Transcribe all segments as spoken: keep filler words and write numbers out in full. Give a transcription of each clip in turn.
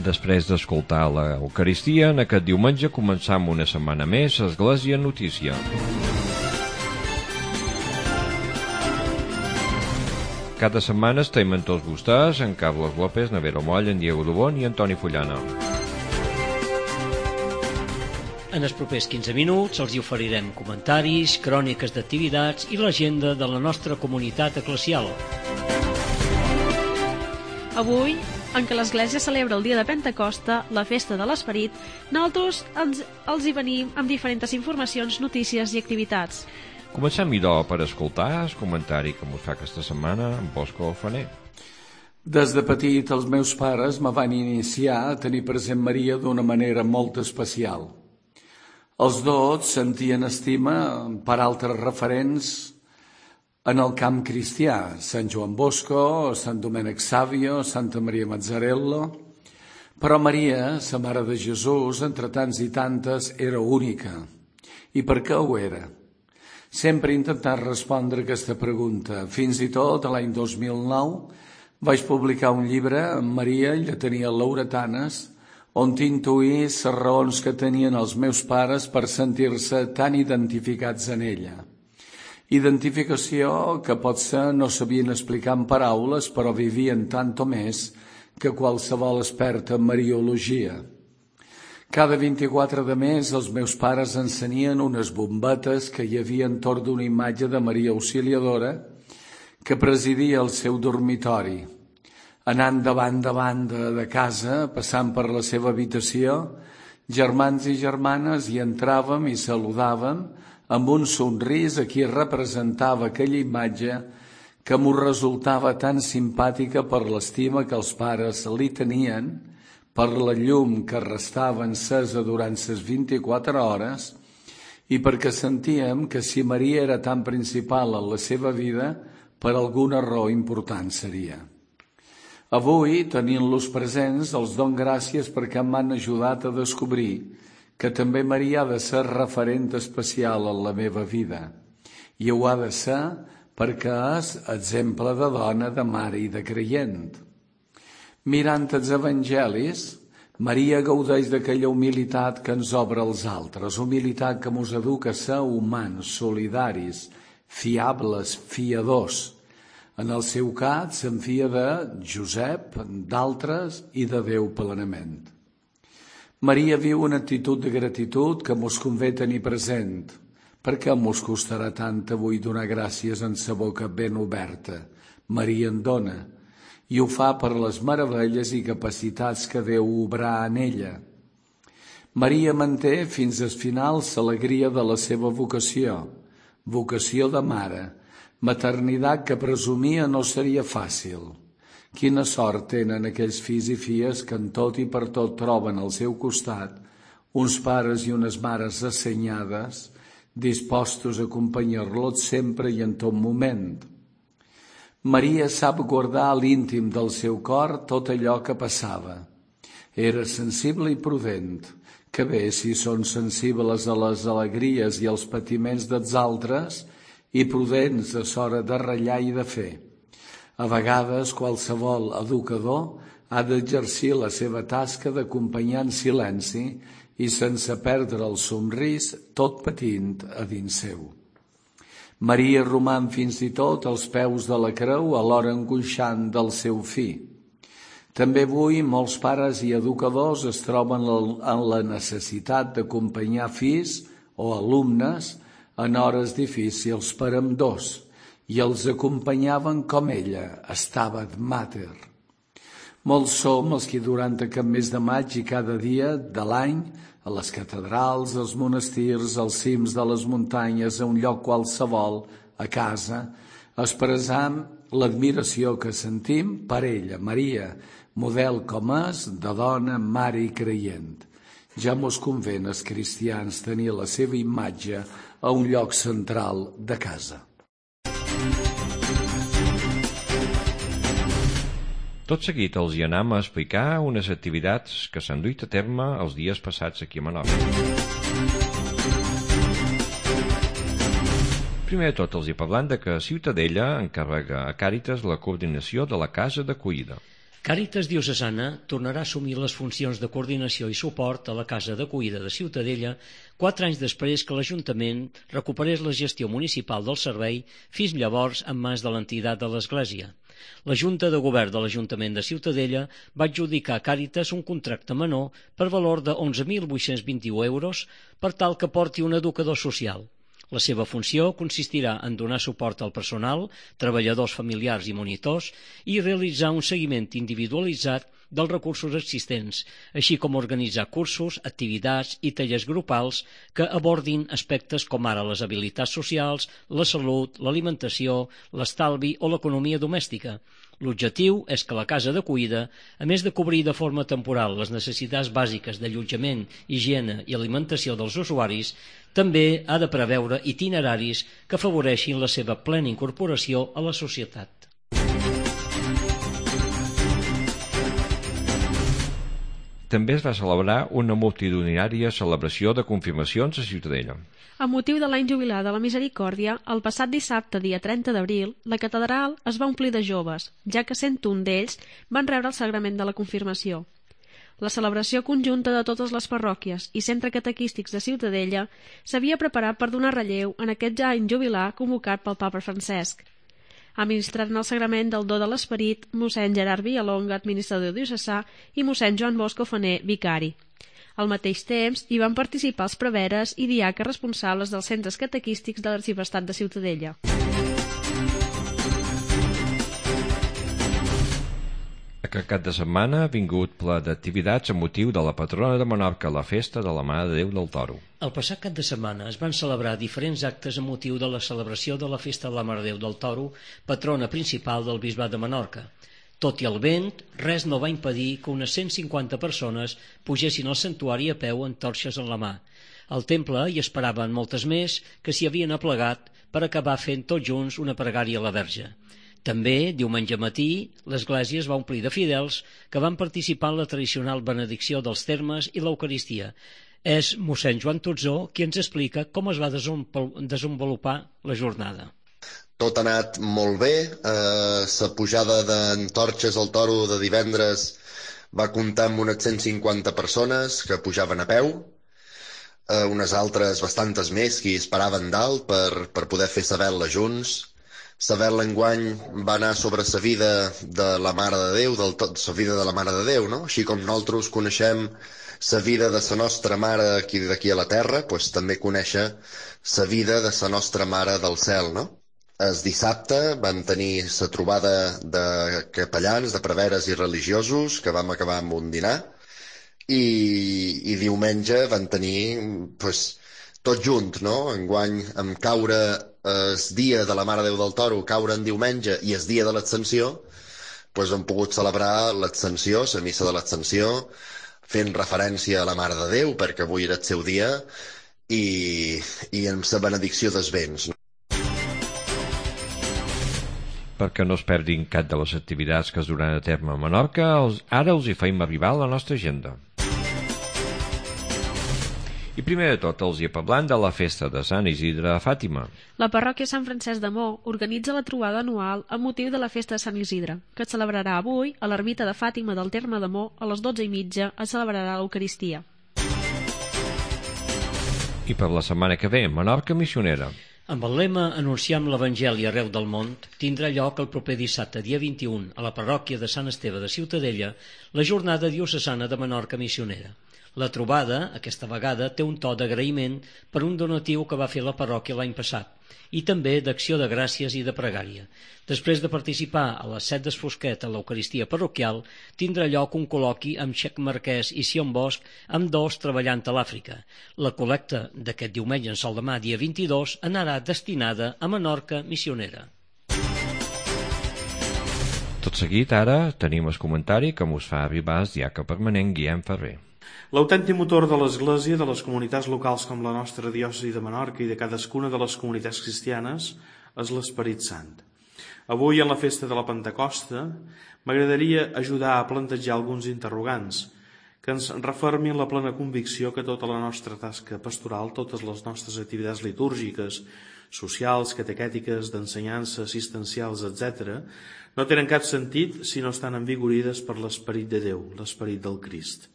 Després d'escoltar l'Eucaristia, en aquest diumenge començam una setmana més Església Notícia. Cada setmana estem amb tots vostès, en Carlos López, Navero Moll, en Diego Dubón i Antoni Fullana. En els propers quinze minuts els hi oferirem comentaris, cròniques d'activitats i l'agenda de la nostra comunitat eclesial. Avui, en què l'Església celebra el dia de Pentecosta, la festa de l'Esperit, nosaltres els, els hi venim amb diferents informacions, notícies i activitats. Comencem, idò, per escoltar el comentari que ens fa aquesta setmana en Bosco Faner. Des de petit, els meus pares me van iniciar a tenir present Maria d'una manera molt especial. Els dos sentien estima per altres referents en el camp cristià, Sant Joan Bosco, Sant Domènec Sàvio, Santa Maria Mazzarello, però Maria, la Mare de Jesús, entre tants i tantes, era única. I per què ho era? Sempre he intentat respondre aquesta pregunta. Fins i tot, l'any dos mil nou, vaig publicar un llibre amb Maria i la tenia Lauretanes, on t'intuïa les raons que tenien els meus pares per sentir-se tan identificats en ella. Identificació que potser no sabien explicar en paraules, però vivien tant o més que qualsevol experta en mariologia. Cada vint-i-quatre de mes els meus pares encenien unes bombetes que hi havia entorn d'una imatge de Maria Auxiliadora que presidia el seu dormitori. Anant de banda a banda de casa, passant per la seva habitació, germans i germanes hi entràvem i saludàvem amb un somrís a qui representava aquella imatge que m'ho resultava tan simpàtica per l'estima que els pares li tenien, per la llum que restava encesa durant les vint-i-quatre hores i perquè sentíem que si Maria era tan principal en la seva vida, per alguna raó important seria. Avui, tenint-los presents, els dono gràcies perquè m'han ajudat a descobrir que també Maria ha de ser referent especial en la meva vida. I ho ha de ser perquè és exemple de dona, de mare i de creient. Mirant els evangelis, Maria gaudeix d'aquella humilitat que ens obre als altres, humilitat que ens educa a ser humans, solidaris, fiables, fiadors. En el seu cas, se'n fia de Josep, d'altres i de Déu plenament. Maria viu una actitud de gratitud que mos convé tenir present. Per què mos costarà tant avui donar gràcies en sa boca ben oberta? Maria en dona, i ho fa per les meravelles i capacitats que Déu obrà en ella. Maria manté fins al final l'alegria de la seva vocació, vocació de mare, maternitat que presumia no seria fàcil. Quina sort tenen aquells fills i filles que en tot i per tot troben al seu costat uns pares i unes mares assenyades, dispostos a acompanyar-los sempre i en tot moment. Maria sap guardar a l'íntim del seu cor tot allò que passava. Era sensible i prudent, que bé si són sensibles a les alegries i als patiments dels altres i prudents a l'hora de ratllar i de fer. A vegades, qualsevol educador ha d'exercir la seva tasca d'acompanyar en silenci i sense perdre el somrís, tot patint a dins seu. Maria roman fins i tot als peus de la creu alhora angoixant del seu fill. També avui molts pares i educadors es troben en la necessitat d'acompanyar fills o alumnes en hores difícils per ambdós, i els acompanyaven com ella, Stabat Mater. Molts som els que durant aquest mes de maig i cada dia de l'any, a les catedrals, als monestirs, als cims de les muntanyes, a un lloc qualsevol, a casa, expressam l'admiració que sentim per ella, Maria, model com és de dona, mare i creient. Ja mos convé als cristians tenir la seva imatge a un lloc central de casa. Tot seguit els hi anam a explicar unes activitats que s'han duit a terme els dies passats aquí a Menorca. Primer de tot els hi parlant de que Ciutadella encarrega a Càritas la coordinació de la casa d'acollida. Càritas Diocesana tornarà a assumir les funcions de coordinació i suport a la Casa d'Acollida de Ciutadella quatre anys després que l'Ajuntament recuperés la gestió municipal del servei, fins llavors en mans de l'entitat de l'Església. La Junta de Govern de l'Ajuntament de Ciutadella va adjudicar a Càritas un contracte menor per valor de onze mil vuit-cents vint-i-u euros per tal que porti un educador social. La seva funció consistirà en donar suport al personal, treballadors familiars i monitors i realitzar un seguiment individualitzat dels recursos existents, així com organitzar cursos, activitats i tallers grupals que abordin aspectes com ara les habilitats socials, la salut, l'alimentació, l'estalvi o l'economia domèstica. L'objectiu és que la casa d'acollida, a més de cobrir de forma temporal les necessitats bàsiques d'allotjament, higiene i alimentació dels usuaris, també ha de preveure itineraris que afavoreixin la seva plena incorporació a la societat. També es va celebrar una multitudinària celebració de confirmacions a Ciutadella. Amb motiu de l'any jubilar de la Misericòrdia, el passat dissabte, dia trenta d'abril, la catedral es va omplir de joves, ja que cent un d'ells van rebre el sagrament de la confirmació. La celebració conjunta de totes les parròquies i centres catequístics de Ciutadella s'havia preparat per donar relleu en aquest ja any jubilar convocat pel papa Francesc. Administrant el sagrament del do de l'esperit, mossèn Gerard Villalonga, administrador diocesà, i mossèn Joan Bosco Faner, vicari. Al mateix temps, hi van participar els preveres i diaques responsables dels centres catequístics de l'Arxiprestat de Ciutadella. Aquest cap de setmana ha vingut ple d'activitats amb motiu de la patrona de Menorca, la festa de la Mare de Déu del Toro. El passat cap de setmana es van celebrar diferents actes amb motiu de la celebració de la festa de la Mare de Déu del Toro, patrona principal del Bisbat de Menorca. Tot i el vent, res no va impedir que unes cent cinquanta persones pugessin al santuari a peu amb torxes en la mà. Al temple hi esperaven moltes més que s'hi havien aplegat per acabar fent tots junts una pregària a la Verge. També, diumenge matí, l'església es va omplir de fidels que van participar en la tradicional benedicció dels termes i l'Eucaristia. És mossèn Joan Tutzó qui ens explica com es va desenvolupar la jornada. Tot ha anat molt bé. Eh, la pujada d'antorxes al Toro de divendres va comptar amb unes cent cinquanta persones que pujaven a peu, eh, unes altres bastantes més que esperaven dalt per, per poder fer la vetla junts. La vetla enguany va anar sobre la vida de la Mare de Déu, del tot, la vida de la Mare de Déu, no? Així com nosaltres coneixem la vida de la nostra mare aquí d'aquí a la terra, doncs també conèixer la vida de la nostra Mare del cel, no? El dissabte vam tenir la trobada de capellans, de preveres i religiosos, que vam acabar amb un dinar, i, i diumenge vam tenir pues, tot junt, no? Enguany, amb caure el dia de la Mare de Déu del Toro, caure en diumenge, i el dia de l'Ascensió, pues, hem pogut celebrar l'Ascensió, la missa de l'Ascensió, fent referència a la Mare de Déu, perquè avui era el seu dia, i, i amb la benedicció dels béns. Perquè no es perdin cap de les activitats que es duran a terme a Menorca, els, ara els hi feim arribar a la nostra agenda. I primer de tot els hi parlant de la festa de Sant Isidre a Fàtima. La parròquia Sant Francesc de Mo organitza la trobada anual amb motiu de la festa de Sant Isidre, que es celebrarà avui a l'ermita de Fàtima del terme de Mo a les dotze i mitja es celebrarà l'Eucaristia. I per la setmana que ve, Menorca missionera. Amb el lema Anunciem l'Evangeli arreu del món, tindrà lloc el proper dissabte, dia vint-i-u, a la parròquia de Sant Esteve de Ciutadella, la jornada diocesana de Menorca missionera. La trobada, aquesta vegada, té un to d'agraïment per un donatiu que va fer la parròquia l'any passat i també d'acció de gràcies i de pregària. Després de participar a les set d'Esfosquet a l'Eucaristia parroquial, tindrà lloc un col·loqui amb Xec Marquès i Sion Bosch, amb dos treballant a l'Àfrica. La col·lecta d'aquest diumenge en sol demà, dia vint-i-dos, anarà destinada a Menorca missionera. Tot seguit, ara, tenim el comentari que mos fa arribar el diaca permanent Guillem Ferrer. L'autèntic motor de l'Església, de les comunitats locals com la nostra diòcesi de Menorca i de cadascuna de les comunitats cristianes, és l'Esperit Sant. Avui, en la festa de la Pentecosta, m'agradaria ajudar a plantejar alguns interrogants que ens refermin la plena convicció que tota la nostra tasca pastoral, totes les nostres activitats litúrgiques, socials, catequètiques, d'ensenyança, assistencials, etcètera, no tenen cap sentit si no estan envigorides per l'esperit de Déu, l'esperit del Crist.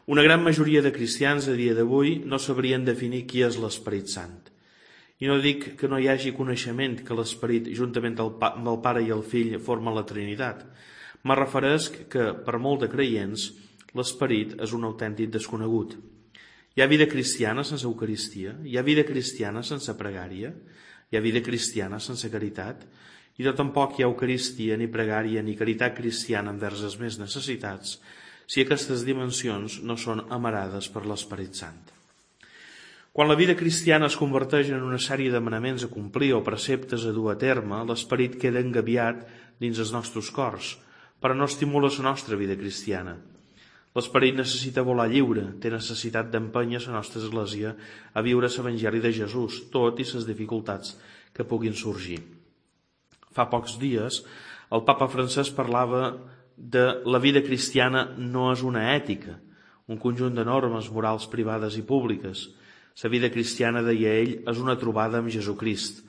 Una gran majoria de cristians a dia d'avui no sabrien definir qui és l'Esperit Sant. I no dic que no hi hagi coneixement que l'Esperit, juntament amb el Pare i el Fill, formen la Trinitat. Me referesc que, per molt de creients, l'Esperit és un autèntic desconegut. Hi ha vida cristiana sense Eucaristia, hi ha vida cristiana sense pregària, hi ha vida cristiana sense caritat, i no tampoc hi ha Eucaristia, ni pregària, ni caritat cristiana envers els més necessitats, si aquestes dimensions no són amarades per l'Esperit Sant. Quan la vida cristiana es converteix en una sèrie de manaments a complir o preceptes a dur a terme, l'esperit queda engabiat dins els nostres cors, però no estimula la nostra vida cristiana. L'esperit necessita volar lliure, té necessitat d'empènyer la nostra església a viure l'Evangeli de Jesús, tot i les dificultats que puguin sorgir. Fa pocs dies, el papa Francesc parlava de la vida cristiana no és una ètica, un conjunt de normes morals privades i públiques. La vida cristiana, deia ell, és una trobada amb Jesucrist.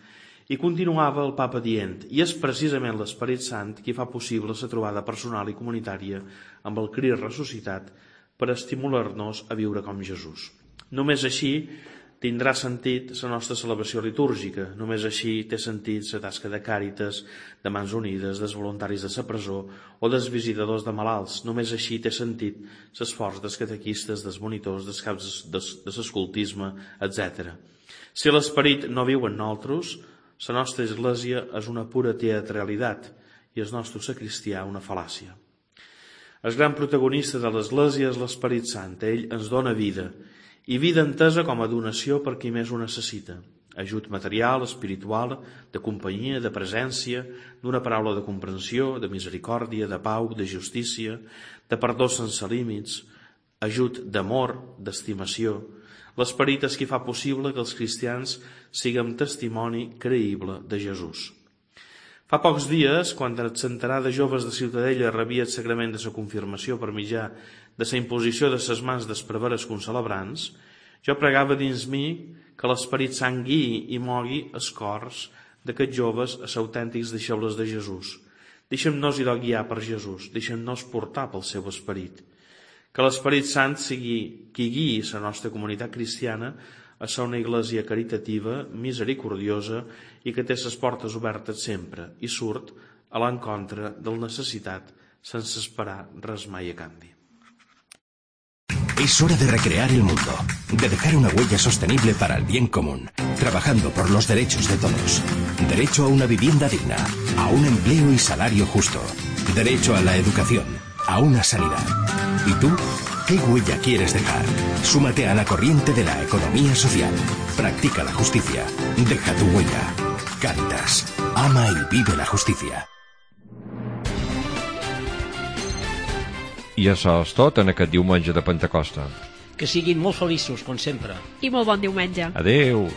I continuava el papa dient, i és precisament l'Esperit Sant qui fa possible la trobada personal i comunitària amb el Crist ressuscitat per estimular-nos a viure com Jesús. Només així tindrà sentit la nostra celebració litúrgica, només així té sentit la tasca de Càritas, de Mans Unides, dels voluntaris de la presó o dels visitadors de malalts, només així té sentit l'esforç dels catequistes, dels monitors, dels caps de l'escoltisme, etcètera. Si l'esperit no viu en nosaltres, la nostra església és una pura teatralitat i el nostre sacristià una fal·làcia. El gran protagonista de l'església és l'Esperit Sant, ell ens dona vida, i vida entesa com a donació per qui més ho necessita. Ajut material, espiritual, de companyia, de presència, d'una paraula de comprensió, de misericòrdia, de pau, de justícia, de perdó sense límits, ajut d'amor, d'estimació. L'esperit és qui fa possible que els cristians siguem testimoni creïble de Jesús. Fa pocs dies, quan el centenar de joves de Ciutadella rebia el sagrament de la confirmació per mitjà de la imposició de ses mans dels preveres concelebrants, jo pregava dins mi que l'Esperit Sant guiï i mogui els cors d'aquests joves a ser autèntics deixebles de Jesús. Deixem-nos idò guiar per Jesús, deixem-nos portar pel seu esperit. Que l'Esperit Sant sigui qui guiï la nostra comunitat cristiana a ser una església caritativa, misericordiosa i que té les portes obertes sempre i surt a l'encontre del necessitat sense esperar res mai a canvi. Es hora de recrear el mundo, de dejar una huella sostenible para el bien común, trabajando por los derechos de todos. Derecho a una vivienda digna, a un empleo y salario justo. Derecho a la educación, a una sanidad. ¿Y tú? ¿Qué huella quieres dejar? Súmate a la corriente de la economía social. Practica la justicia. Deja tu huella. Cáritas. Ama y vive la justicia. I això és tot en aquest diumenge de Pentecosta. Que siguin molt feliços, com sempre. I molt bon diumenge. Adeu.